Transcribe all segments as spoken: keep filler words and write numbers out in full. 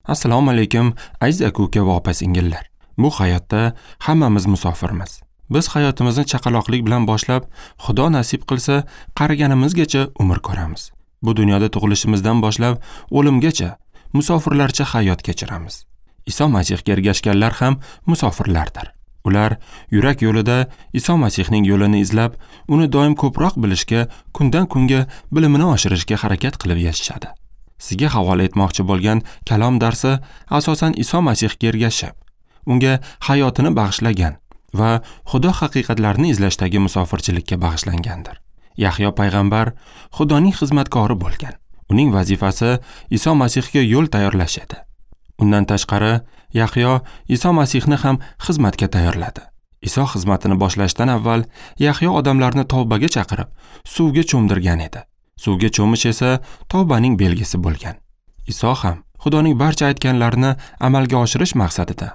Assalomu alaykum, aziz aka-uka va opa-singillar. Bu hayotda hammamiz musofirmiz. Biz hayotimizni chaqaloqlik bilan boshlab, Xudo nasib qilsa, qariganimizgacha umr ko'ramiz. Bu dunyoda tug'ilishimizdan boshlab o'limgacha musofirlarcha hayot kechiramiz. Iso Masihga ergashganlar ham musofirlardir. Ular yurak yo'lida Iso Masihning yo'lini izlab, uni doim ko'proq bilishga, kundan kunga bilimini oshirishga harakat qilib yashashadi. Sizga havola etmoqchi bo'lgan kalom darsi asosan Iso Masihga ergashib, unga hayotini bag'ishlagan va Xudo haqiqatlarini izlashdagi musofirchilikka bag'ishlangandir. Yahyo payg'ambar Xudoning xizmatkori bo'lgan. Uning vazifasi Iso Masihga yo'l tayyorlash edi. Undan tashqari, Yahyo Iso Masihni ham xizmatga tayyorladi. Iso xizmatini boshlashdan avval Yahyo odamlarni tavbaga chaqirib, suvga cho'mdirgan edi. Suvga cho'mish esa tavbaning belgisi bo'lgan. Iso ham Xudoning barcha aytganlarini amalga oshirish maqsadida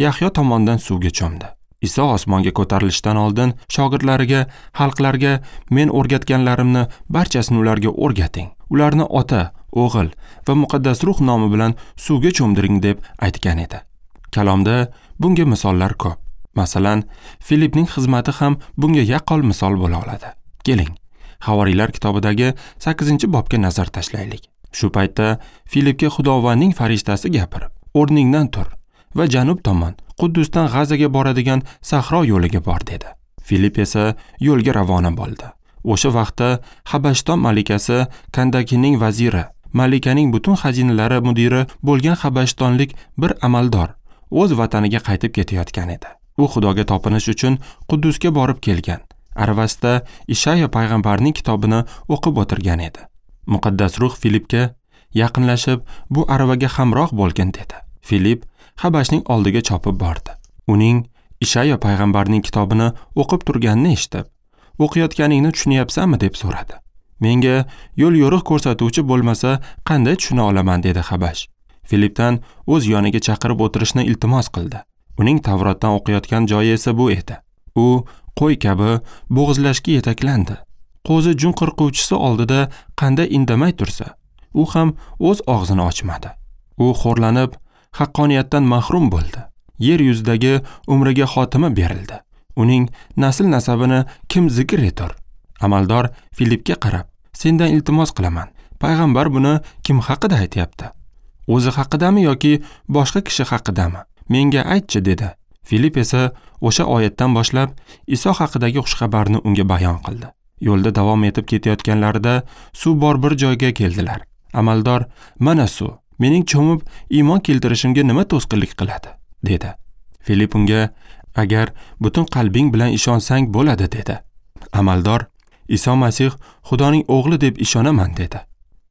Yahyo tomonidan suvga cho'mdi. Iso osmonga ko'tarilishdan oldin shogirdlariga, xalqlarga men o'rgatganlarimni barchasini ularga o'rgating. Ularni Ota, O'g'il va Muqaddas Ruh nomi bilan suvga cho'mdiring deb aytgan edi. Kalomda bunga misollar ko'p. Masalan, Filipning xizmati ham bunga yaqqol misol bo'la oladi. Keling, Havoriylar kitobidagi sakkizinchi bobga nazar tashlaylik. Shu paytda Filipga Xudovandning farishtasi gapirib, "O'rningdan tur va janub tomon, Quddusdan G'azaga boradigan sahro yo'liga bor" dedi. Filip esa yo'lga ravona bo'ldi. O'sha vaqtda Habashton malikasi Kandakining vaziri, malikaning butun xazinalari mudiri bo'lgan habashtonlik bir amaldor o'z vataniga qaytib ketayotgan edi. U Xudoga topinish uchun Quddusga borib kelgan. Aravasida Ishayo payg'ambarning kitobini o'qib o'tirgan edi. Muqaddas Ruh Filipga yaqinlashib, bu aravaga hamroh bo'lgin dedi. Filip Habashning oldiga chopib bordi. Uning Ishayo payg'ambarning kitobini o'qib turganini eshitib, "O'qiyotganingni tushunyapsanmi?" deb so'radi. "Menga yo'l yo'riq ko'rsatuvchi bo'lmasa, qanday tushuna olaman?" dedi Habash. Filipdan o'z yoniga chaqirib o'tirishni iltimos qildi. Uning Tavrotdan o'qiyotgan joyi esa bu edi. U qo'y kabi bo'g'izlashga yetaklandi. Qo'zi jun qirquvchisi oldida qanday indamay tursa, u ham o'z og'zini ochmadi. U xo'rlanib, haqqoniyatdan mahrum bo'ldi. Yer yuzidagi umriga xotima berildi. Uning nasl nasabini kim zikr etar? Amaldor Filipga qarab, "Sendan iltimos qilaman. Payg'ambar buni kim haqida aytyapti? O'zi haqidami yoki boshqa kishi haqidami? Menga aytchi" dedi. Filip esa o'sha oyatdan boshlab Iso haqidagi xushxabarni unga bayon qildi. Yo'lda davom etib ketayotganlarida suv bor bir joyga keldilar. Amaldor, "Mana suv, mening cho'mib iymon keltirishimga nima to'sqinlik qiladi?" dedi. Filip unga, "Agar butun qalbing bilan ishonsang bo'ladi" dedi. Amaldor, "Iso Masih Xudoning o'g'li deb ishonaman" dedi.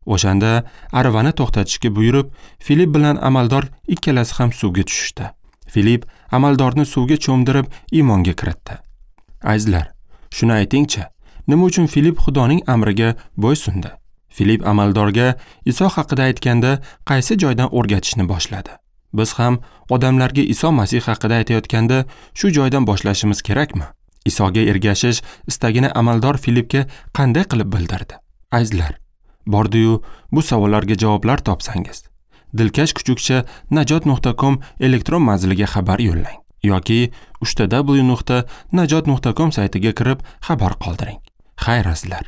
O'shanda aravani to'xtatishga buyurib, Filip bilan amaldor ikkalasi ham suvga tushishdi. Filip amaldorni suvga cho'mdirib iymonga kiritdi. Azizlar, shuni aytingchi, nima uchun Filip Xudoning amriga bo'ysundi? Filip amaldorga Iso haqida aytganda qaysi joydan o'rgatishni boshladi? Biz ham odamlarga Iso Masih haqida aytayotganda shu joydan boshlashimiz kerakmi? Isoga ergashish istagini amaldor Filipga qanday qilib bildirdi? Azizlar, bordi-yu bu savollarga javoblar topsangiz, dilkash kuchukcha najot nuqta com elektron manziliga xabar yo'llang yoki uch ta w nuqta najot nuqta com saytiga kirib xabar qoldiring. Xayr azizlar.